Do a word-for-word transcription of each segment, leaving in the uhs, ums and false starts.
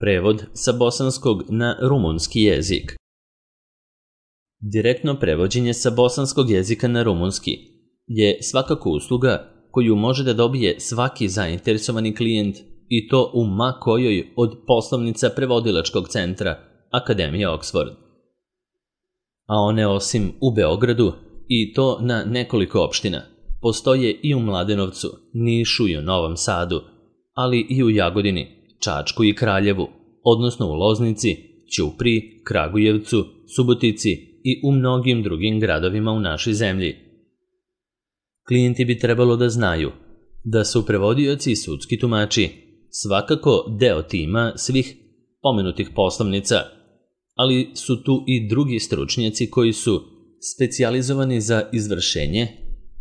Prevod sa bosanskog na rumunski jezik. Direktno prevođenje sa bosanskog jezika na rumunski je svakako usluga koju može da dobije svaki zainteresovani klijent i to u ma kojoj od poslovnica prevodilačkog centra Akademije Oxford. A one osim u Beogradu, i to na nekoliko opština, postoje i u Mladenovcu, Nišu i u Novom Sadu, ali i u Jagodini, Čačku i Kraljevu, odnosno u Loznici, Ćupriji, Kragujevcu, Subotici i u mnogim drugim gradovima u našoj zemlji. Klijenti bi trebalo da znaju da su prevodioci i sudski tumači svakako deo tima svih pomenutih poslovnica, ali su tu i drugi stručnjaci koji su specijalizovani za izvršenje,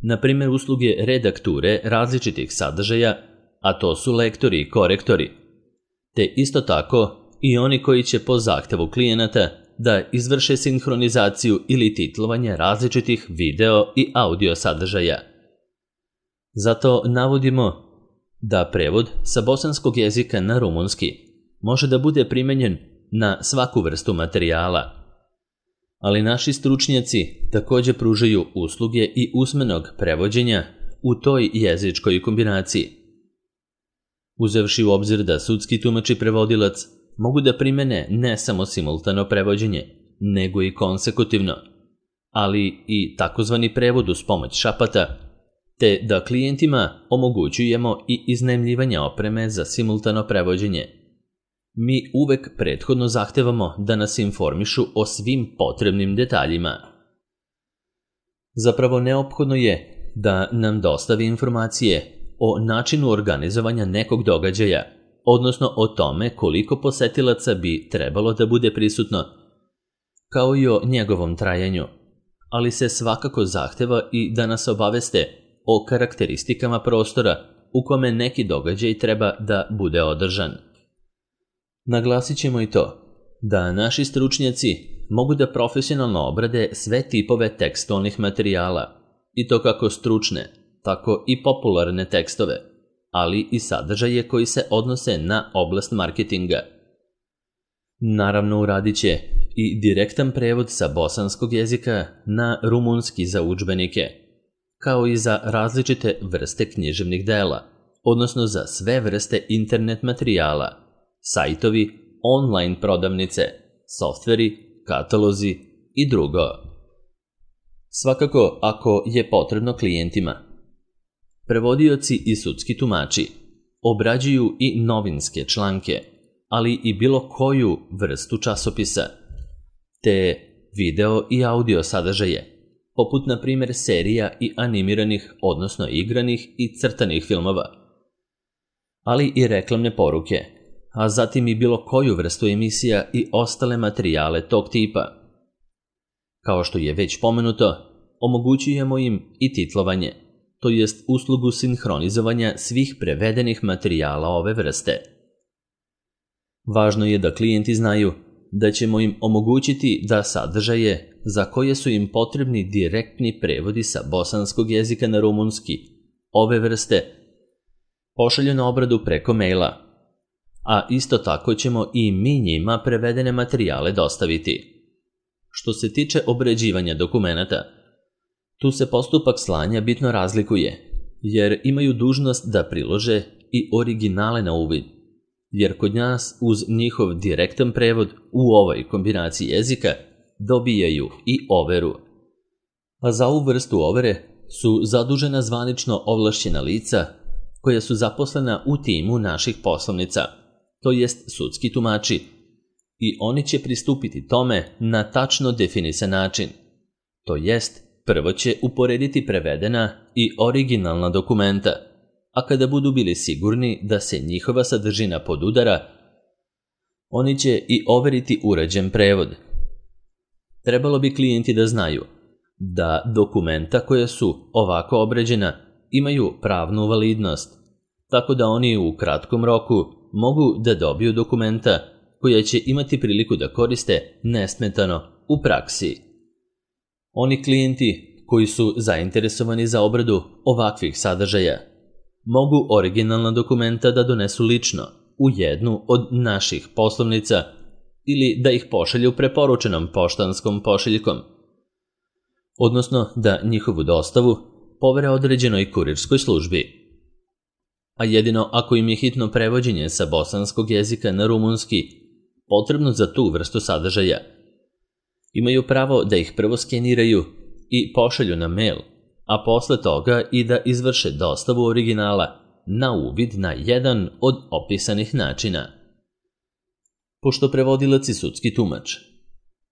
na primjer usluge redakture različitih sadržaja, a to su lektori i korektori, te isto tako i oni koji će po zahtevu klijenata da izvrše sinhronizaciju ili titlovanje različitih video i audio sadržaja. Zato navodimo da prevod sa bosanskog jezika na rumunski može da bude primenjen na svaku vrstu materijala, ali naši stručnjaci također pružaju usluge i usmenog prevođenja u toj jezičkoj kombinaciji. Uzevši u obzir da sudski tumač i prevodilac mogu da primene ne samo simultano prevođenje, nego i konsekutivno, ali i takozvani prevod uz pomoć šapata, te da klijentima omogućujemo i iznajmljivanje opreme za simultano prevođenje. Mi uvek prethodno zahtevamo da nas informišu o svim potrebnim detaljima. Zapravo neophodno je da nam dostavi informacije o načinu organizovanja nekog događaja, odnosno o tome koliko posetilaca bi trebalo da bude prisutno, kao i o njegovom trajanju, ali se svakako zahteva i da nas obaveste o karakteristikama prostora u kome neki događaj treba da bude održan. Naglasit ćemo i to da naši stručnjaci mogu da profesionalno obrade sve tipove tekstualnih materijala, i to kako stručne, tako i popularne tekstove, ali i sadržaje koji se odnose na oblast marketinga. Naravno, uradit će i direktan prevod sa bosanskog jezika na rumunski za udžbenike, kao i za različite vrste književnih dela, odnosno za sve vrste internet materijala, sajtovi, online prodavnice, softveri, katalozi i drugo. Svakako, ako je potrebno klijentima, prevodioci i sudski tumači obrađuju i novinske članke, ali i bilo koju vrstu časopisa, te video i audio sadržaje, poput na primjer serija i animiranih, odnosno igranih i crtanih filmova, ali i reklamne poruke, a zatim i bilo koju vrstu emisija i ostale materijale tog tipa. Kao što je već pomenuto, omogućujemo im i titlovanje, to jest uslugu sinhronizovanja svih prevedenih materijala ove vrste. Važno je da klijenti znaju da ćemo im omogućiti da sadržaje za koje su im potrebni direktni prevodi sa bosanskog jezika na rumunski ove vrste pošalju na obradu preko maila, a isto tako ćemo i mi njima prevedene materijale dostaviti. Što se tiče obrađivanja dokumenata, tu se postupak slanja bitno razlikuje, jer imaju dužnost da prilože i originale na uvid, jer kod nas uz njihov direktan prevod u ovoj kombinaciji jezika dobijaju i overu. A za ovu vrstu overe su zadužena zvanično ovlašćena lica koja su zaposlena u timu naših poslovnica, to jest sudski tumači, i oni će pristupiti tome na tačno definisan način, to jest prvo će uporediti prevedena i originalna dokumenta, a kada budu bili sigurni da se njihova sadržina podudara, oni će i overiti urađen prevod. Trebalo bi klijenti da znaju da dokumenta koja su ovako obrađena imaju pravnu validnost, tako da oni u kratkom roku mogu da dobiju dokumenta koja će imati priliku da koriste nesmetano u praksi. Oni klijenti koji su zainteresovani za obradu ovakvih sadržaja mogu originalna dokumenta da donesu lično u jednu od naših poslovnica ili da ih pošalju preporučenom poštanskom pošiljkom, odnosno da njihovu dostavu povere određenoj kurirskoj službi. A jedino ako im je hitno prevođenje sa bosanskog jezika na rumunski potrebno za tu vrstu sadržaja, imaju pravo da ih prvo skeniraju i pošalju na mail, a posle toga i da izvrše dostavu originala na uvid na jedan od opisanih načina. Pošto prevodilac i sudski tumač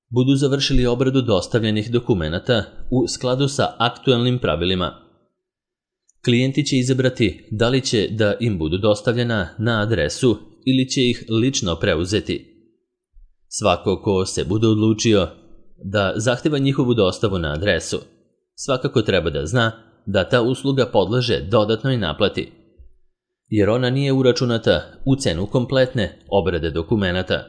budu završili obradu dostavljenih dokumenata u skladu sa aktuelnim pravilima, klijenti će izabrati da li će da im budu dostavljena na adresu ili će ih lično preuzeti. Svako ko se bude odlučio da zahteva njihovu dostavu na adresu, svakako treba da zna da ta usluga podleže dodatnoj naplati, jer ona nije uračunata u cenu kompletne obrade dokumenata.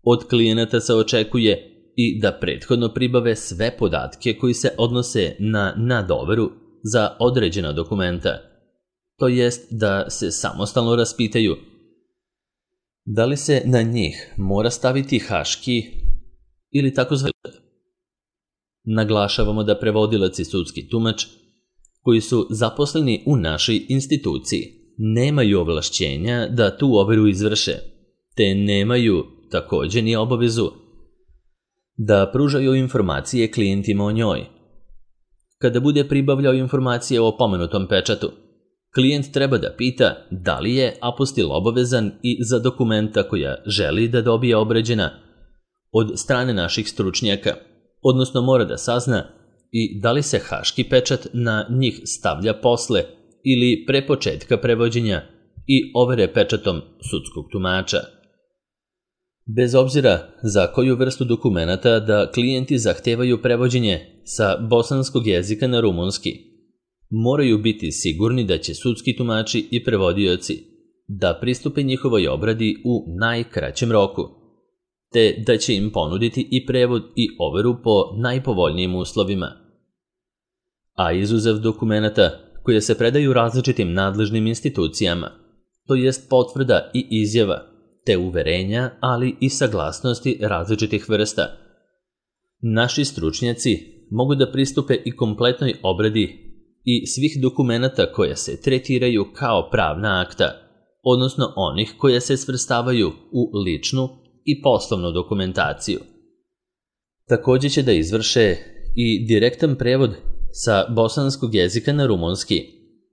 Od klijenata se očekuje i da prethodno pribave sve podatke koji se odnose na nadoveru za određena dokumenta, to jest da se samostalno raspitaju da li se na njih mora staviti haški ili takozvani. Naglašavamo da prevodilac i sudski tumač koji su zaposleni u našoj instituciji nemaju ovlašćenja da tu overu izvrše, te nemaju također ni obavezu da pružaju informacije klijentima o njoj. Kada bude pribavljao informacije o pomenutom pečatu, klijent treba da pita da li je apostil obavezan i za dokumenta koja želi da dobije obrađena od strane naših stručnjaka, odnosno mora da sazna i da li se haški pečat na njih stavlja posle ili pre početka prevođenja i overe pečatom sudskog tumača. Bez obzira za koju vrstu dokumenata da klijenti zahtevaju prevođenje sa bosanskog jezika na rumunski, moraju biti sigurni da će sudski tumači i prevodioci da pristupe njihovoj obradi u najkraćem roku, te da će im ponuditi i prevod i overu po najpovoljnijim uslovima. A izuzev dokumenata koje se predaju različitim nadležnim institucijama, to jest potvrda i izjava, te uverenja, ali i saglasnosti različitih vrsta, naši stručnjaci mogu da pristupe i kompletnoj obradi i svih dokumenata koja se tretiraju kao pravna akta, odnosno onih koje se svrstavaju u ličnu i poslovnu dokumentaciju. Također će da izvrše i direktan prevod sa bosanskog jezika na rumunski,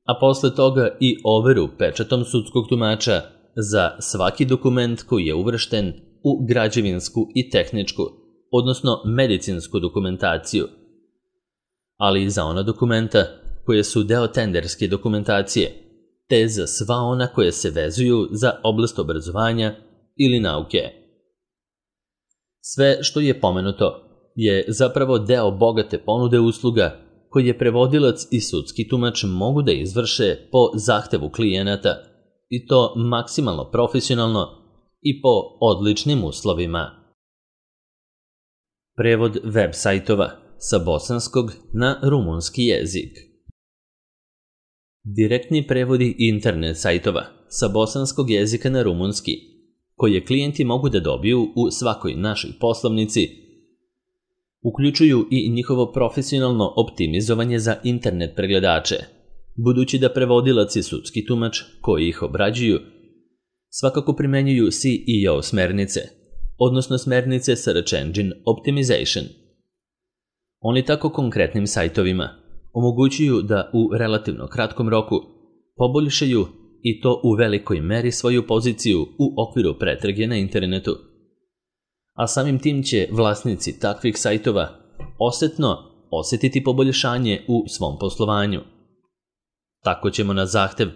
a posle toga i overu pečatom sudskog tumača za svaki dokument koji je uvršten u građevinsku i tehničku, odnosno medicinsku dokumentaciju, ali i za ona dokumenta koje su deo tenderske dokumentacije, te za sva ona koje se vezuju za oblast obrazovanja ili nauke. Sve što je pomenuto je zapravo deo bogate ponude usluga koje prevodilac i sudski tumač mogu da izvrše po zahtevu klijenata, i to maksimalno profesionalno i po odličnim uslovima. Prevod web sajtova sa bosanskog na rumunski jezik. Direktni prevodi internet sajtova sa bosanskog jezika na rumunski, koje klijenti mogu da dobiju u svakoj našoj poslovnici, uključuju i njihovo profesionalno optimizovanje za internet pregledače, budući da prevodilac i sudski tumač koji ih obrađuju svakako primenjuju S E O smernice, odnosno smernice Search Engine Optimization. Oni tako konkretnim sajtovima omogućuju da u relativno kratkom roku poboljšaju i to u velikoj meri svoju poziciju u okviru pretrage na internetu. A samim tim će vlasnici takvih sajtova osetno osjetiti poboljšanje u svom poslovanju. Tako ćemo na zahtev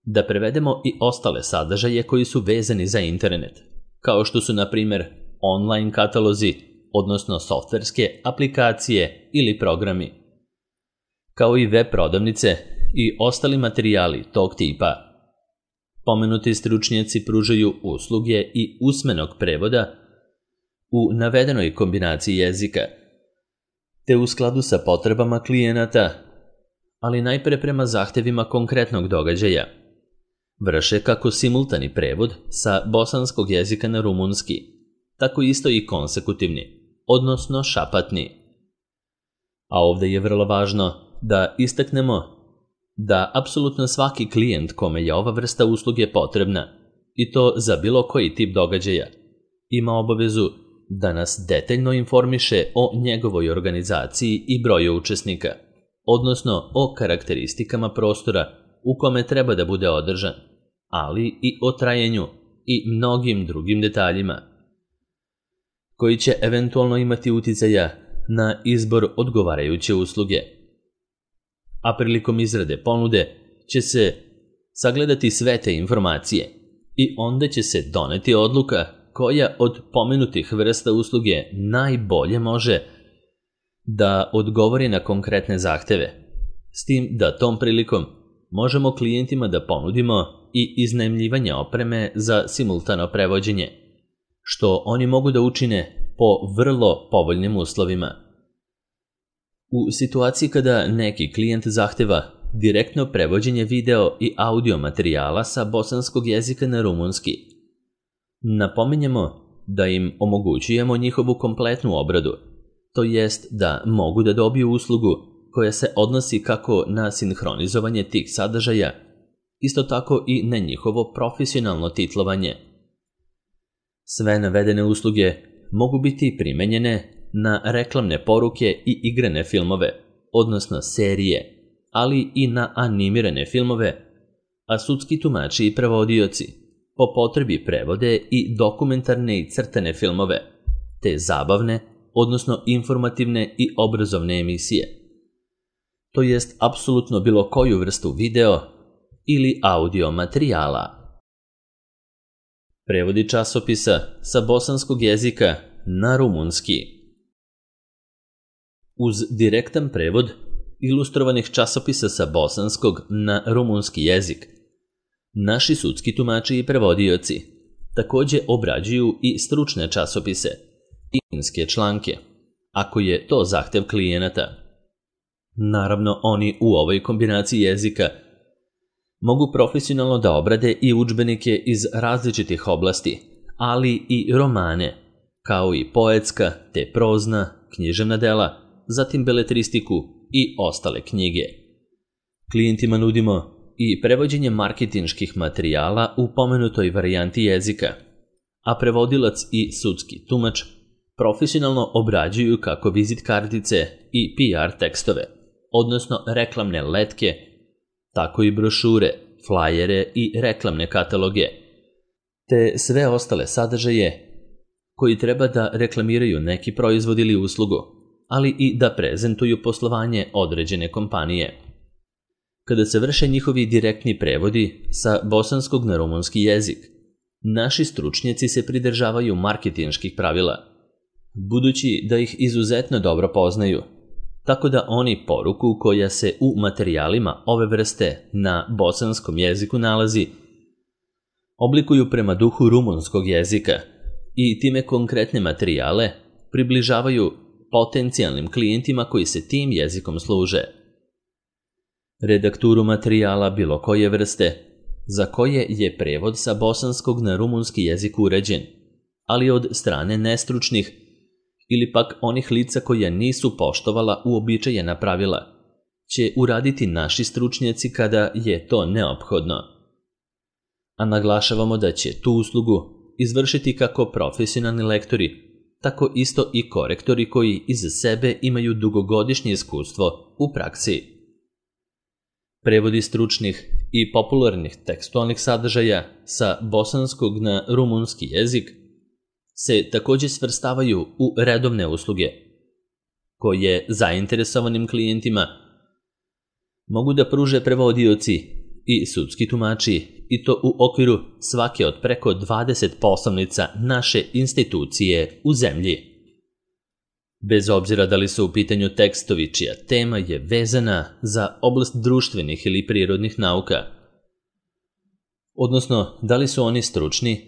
da prevedemo i ostale sadržaje koji su vezani za internet, kao što su na primjer online katalozi, odnosno softverske aplikacije ili programi, kao i web prodavnice i ostali materijali tog tipa. Pomenuti stručnjaci pružaju usluge i usmenog prevoda u navedenoj kombinaciji jezika, te u skladu sa potrebama klijenata, ali najpre prema zahtevima konkretnog događaja. vrše kako simultani prevod sa bosanskog jezika na rumunski, tako isto i konsekutivni, odnosno šapatni. A ovde je vrlo važno da istaknemo da apsolutno svaki klijent kome je ova vrsta usluge potrebna, i to za bilo koji tip događaja, ima obavezu da nas detaljno informiše o njegovoj organizaciji i broju učesnika, odnosno o karakteristikama prostora u kome treba da bude održan, ali i o trajanju i mnogim drugim detaljima, koji će eventualno imati uticaja na izbor odgovarajuće usluge. A prilikom izrade ponude će se sagledati sve te informacije i onda će se doneti odluka koja od pomenutih vrsta usluge najbolje može da odgovori na konkretne zahteve, s tim da tom prilikom možemo klijentima da ponudimo i iznajmljivanje opreme za simultano prevođenje, što oni mogu da učine po vrlo povoljnim uslovima. U situaciji kada neki klijent zahteva direktno prevođenje video i audio materijala sa bosanskog jezika na rumunski, napominjemo da im omogućujemo njihovu kompletnu obradu, to jest da mogu da dobiju uslugu koja se odnosi kako na sinhronizovanje tih sadržaja, isto tako i na njihovo profesionalno titlovanje. Sve navedene usluge mogu biti primenjene na reklamne poruke i igrane filmove, odnosno serije, ali i na animirane filmove, a sudski tumači i prevodioci po potrebi prevode i dokumentarne i crtane filmove, te zabavne, odnosno informativne i obrazovne emisije. To jest apsolutno bilo koju vrstu video ili audio materijala. Prevodi časopisa sa bosanskog jezika na rumunski. Uz direktan prevod ilustrovanih časopisa sa bosanskog na rumunski jezik, naši sudski tumači i prevodioci takođe obrađuju i stručne časopise i novinske članke, ako je to zahtev klijenata. Naravno, oni u ovoj kombinaciji jezika mogu profesionalno da obrade i udžbenike iz različitih oblasti, ali i romane, kao i poetska te prozna, književna dela, zatim beletristiku i ostale knjige. Klijentima nudimo i prevođenje marketinških materijala u pomenutoj varijanti jezika, a prevodilac i sudski tumač profesionalno obrađuju kako vizit kartice i P R tekstove, odnosno reklamne letke, tako i brošure, flajere i reklamne kataloge, te sve ostale sadržaje koji treba da reklamiraju neki proizvod ili uslugu, ali i da prezentuju poslovanje određene kompanije. Kada se vrše njihovi direktni prevodi sa bosanskog na rumunski jezik, naši stručnjaci se pridržavaju marketinških pravila, budući da ih izuzetno dobro poznaju, tako da oni poruku koja se u materijalima ove vrste na bosanskom jeziku nalazi, oblikuju prema duhu rumunskog jezika i time konkretne materijale približavaju potencijalnim klijentima koji se tim jezikom služe. Redakturu materijala bilo koje vrste, za koje je prevod sa bosanskog na rumunski jezik uređen, ali od strane nestručnih ili pak onih lica koja nisu poštovala uobičajena pravila, će uraditi naši stručnjaci kada je to neophodno. A naglašavamo da će tu uslugu izvršiti kako profesionalni lektori, tako isto i korektori koji iza sebe imaju dugogodišnje iskustvo u praksi. Prevodi stručnih i popularnih tekstualnih sadržaja sa bosanskog na rumunski jezik se takođe svrstavaju u redovne usluge, koje zainteresovanim klijentima mogu da pruže prevodioci i sudski tumači, i to u okviru svake od preko dvadeset poslovnica naše institucije u zemlji. Bez obzira da li su u pitanju tekstovi čija tema je vezana za oblast društvenih ili prirodnih nauka, odnosno da li su oni stručni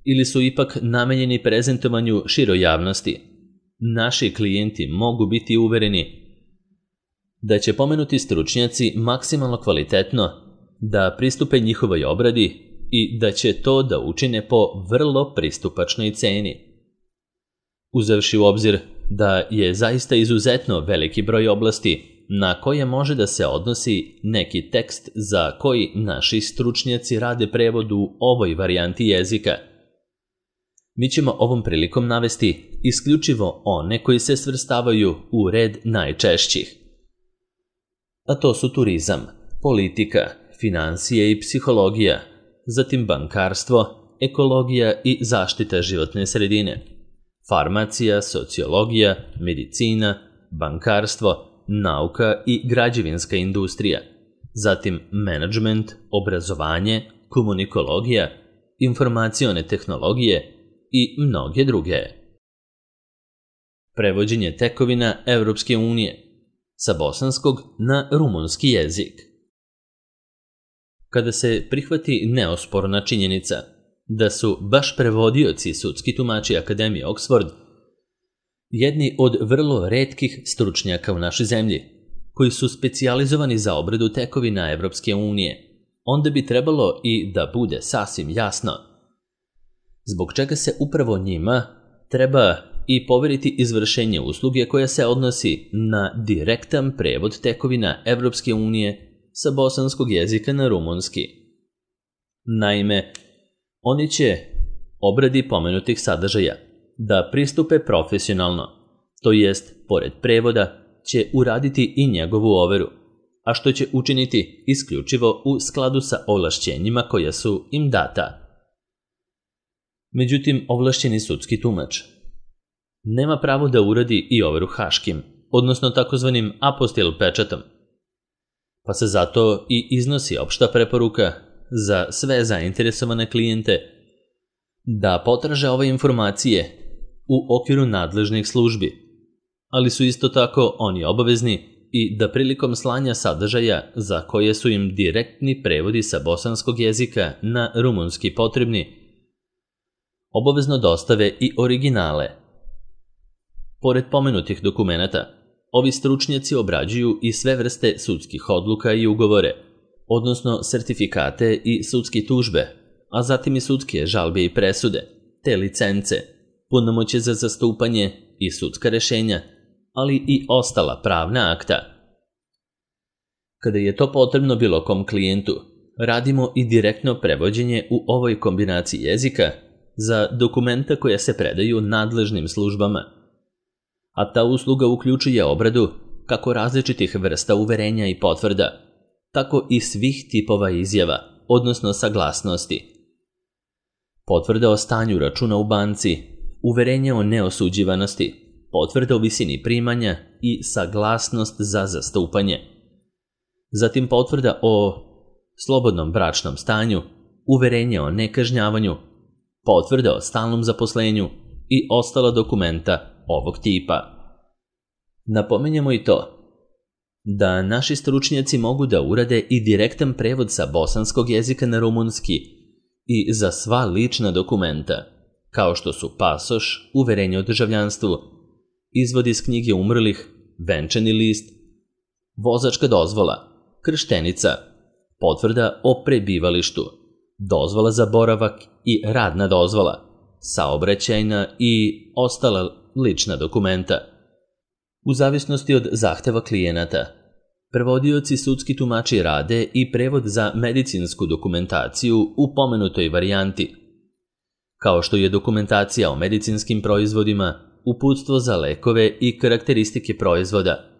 ili su ipak namenjeni prezentovanju široj javnosti, naši klijenti mogu biti uvereni da će pomenuti stručnjaci maksimalno kvalitetno da pristupe njihovoj obradi i da će to da učine po vrlo pristupačnoj ceni. Uzevši u obzir da je zaista izuzetno veliki broj oblasti na koje može da se odnosi neki tekst za koji naši stručnjaci rade prevod u ovoj varijanti jezika, mi ćemo ovom prilikom navesti isključivo one koji se svrstavaju u red najčešćih. A to su turizam, politika, finansije i psihologija, zatim bankarstvo, ekologija i zaštita životne sredine, farmacija, sociologija, medicina, bankarstvo, nauka i građevinska industrija, zatim menadžment, obrazovanje, komunikologija, informacione tehnologije i mnoge druge. Prevođenje tekovina Evropske unije sa bosanskog na rumunski jezik. Kada se prihvati neosporna činjenica da su baš prevodioci sudski tumači Akademije Oxford jedni od vrlo retkih stručnjaka u našoj zemlji, koji su specijalizovani za obradu tekovina Evropske unije, onda bi trebalo i da bude sasvim jasno zbog čega se upravo njima treba i poveriti izvršenje usluge koja se odnosi na direktan prevod tekovina Evropske unije sa bosanskog jezika na rumunski. Naime, oni će obradi pomenutih sadržaja da pristupe profesionalno, to jest, pored prevoda, će uraditi i njegovu overu, a što će učiniti isključivo u skladu sa ovlašćenjima koja su im data. Međutim, ovlašćeni sudski tumač nema pravo da uradi i overu haškim, odnosno takozvanim apostil pečatom, pa se zato i iznosi opšta preporuka za sve zainteresovane klijente da potraže ove informacije u okviru nadležnih službi, ali su isto tako oni obavezni i da prilikom slanja sadržaja za koje su im direktni prevodi sa bosanskog jezika na rumunski potrebni, obavezno dostave i originale. Pored pomenutih dokumenata, ovi stručnjaci obrađuju i sve vrste sudskih odluka i ugovore, odnosno sertifikate i sudske tužbe, a zatim i sudske žalbe i presude, te licence, punomoćje za zastupanje i sudska rešenja, ali i ostala pravna akta. Kada je to potrebno bilo kom klijentu, radimo i direktno prevođenje u ovoj kombinaciji jezika za dokumenta koja se predaju nadležnim službama, a ta usluga uključuje obradu kako različitih vrsta uverenja i potvrda, tako i svih tipova izjava, odnosno saglasnosti. Potvrda o stanju računa u banci, uverenje o neosuđivanosti, potvrda o visini primanja i saglasnost za zastupanje. Zatim potvrda o slobodnom bračnom stanju, uverenje o nekažnjavanju, potvrda o stalnom zaposlenju i ostala dokumenta ovog tipa. Napominjemo i to da naši stručnjaci mogu da urade i direktan prevod sa bosanskog jezika na rumunski i za sva lična dokumenta, kao što su pasoš, uverenje o državljanstvu, izvod iz knjige umrlih, venčani list, vozačka dozvola, krštenica, potvrda o prebivalištu, dozvola za boravak i radna dozvola, saobraćajna i ostala lična dokumenta. U zavisnosti od zahteva klijenata, prevodioci sudski tumači rade i prevod za medicinsku dokumentaciju u pomenutoj varijanti, kao što je dokumentacija o medicinskim proizvodima, uputstvo za lekove i karakteristike proizvoda,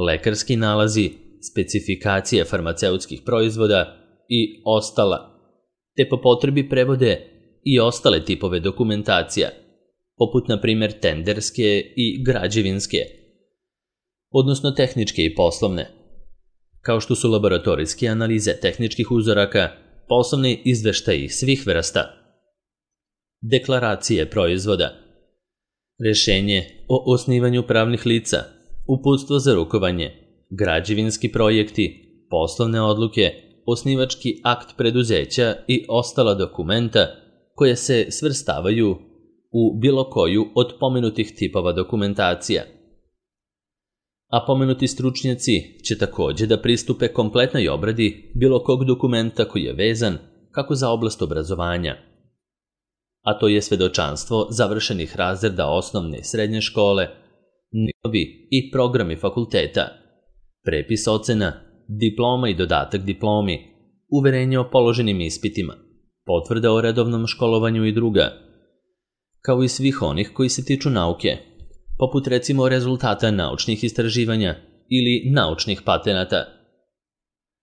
lekarski nalazi, specifikacije farmaceutskih proizvoda i ostala, te po potrebi prevode i ostale tipove dokumentacija, poput na primjer tenderske i građevinske, odnosno tehničke i poslovne, kao što su laboratorijske analize tehničkih uzoraka, poslovni izveštaji svih vrsta, deklaracije proizvoda, rešenje o osnivanju pravnih lica, uputstvo za rukovanje, građevinski projekti, poslovne odluke, osnivački akt preduzeća i ostala dokumenta koje se svrstavaju u bilo koju od pomenutih tipova dokumentacija. A pomenuti stručnjaci će također da pristupe kompletnoj obradi bilo kog dokumenta koji je vezan kako za oblast obrazovanja, a to je svedočanstvo završenih razreda osnovne i srednje škole, nivovi i programi fakulteta, prepis ocena, diploma i dodatak diplomi, uverenje o položenim ispitima, potvrda o redovnom školovanju i druga, kao i svih onih koji se tiču nauke, poput recimo rezultata naučnih istraživanja ili naučnih patenata.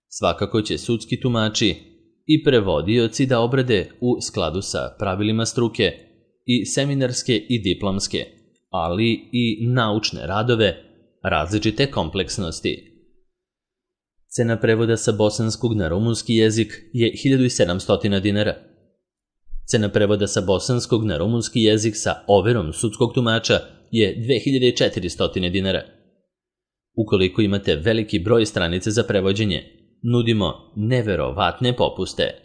Svakako će sudski tumači i prevodioci da obrade u skladu sa pravilima struke i seminarske i diplomske, ali i naučne radove različite kompleksnosti. Cena prevoda sa bosanskog na rumunski jezik je hiljadu sedamsto dinara. Cena prevoda sa bosanskog na rumunski jezik sa overom sudskog tumača je dve hiljade četiristo dinara. Ukoliko imate veliki broj stranice za prevođenje, nudimo neverovatne popuste.